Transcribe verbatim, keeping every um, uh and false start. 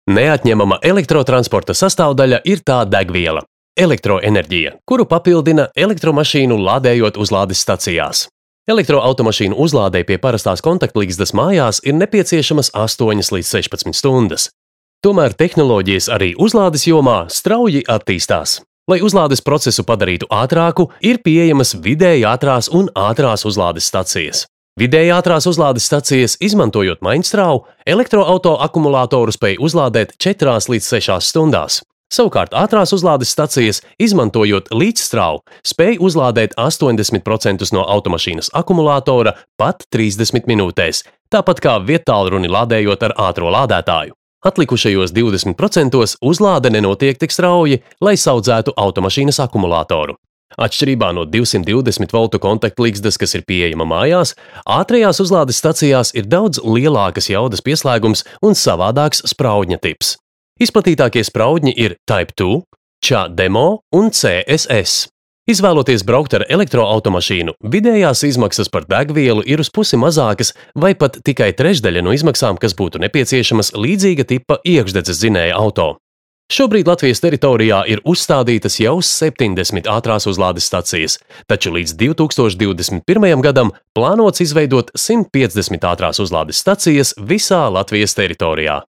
Neatņemama elektrotransporta sastāvdaļa ir tā degviela – elektroenerģija, kuru papildina elektromašīnu lādējot uzlādes stacijās. Elektroautomašīnu uzlādei pie parastās kontaktligzdas mājās ir nepieciešamas astoņas līdz sešpadsmit stundas. Tomēr tehnoloģijas arī uzlādes jomā strauji attīstās. Lai uzlādes procesu padarītu ātrāku, ir pieejamas vidēji ātrās un ātrās uzlādes stacijas. Vidēji ātrās uzlādes stacijas, izmantojot maiņstrāvu, elektroauto akumulātoru spēj uzlādēt četrās līdz sešās stundās. Savukārt ātrās uzlādes stacijas, izmantojot līdzstrāvu, spēj uzlādēt astoņdesmit procentus no automašīnas akumulātora pat trīsdesmit minūtēs, tāpat kā viedtālruni lādējot ar ātro lādētāju. Atlikušajos divdesmit procentos uzlāde nenotiek tik strauji, lai saudzētu automašīnas akumulātoru. Atšķirībā no divsimt divdesmit voltu kontaktligzdas, kas ir pieejama mājās, ātrajās uzlādes stacijās ir daudz lielākas jaudas pieslēgums un savādāks spraudņa tips. Izplatītākie spraudņi ir Type two, CHAdeMO un C S S. Izvēloties braukt ar elektroautomašīnu, vidējās izmaksas par degvielu ir uz pusi mazākas vai pat tikai trešdaļa no izmaksām, kas būtu nepieciešamas līdzīga tipa iekšdedzes dzinēja auto. Šobrīd Latvijas teritorijā ir uzstādītas jau septiņdesmit ātrās uzlādes stacijas, taču līdz divi tūkstoši divdesmit pirmajam gadam plānots izveidot simt piecdesmit ātrās uzlādes stacijas visā Latvijas teritorijā.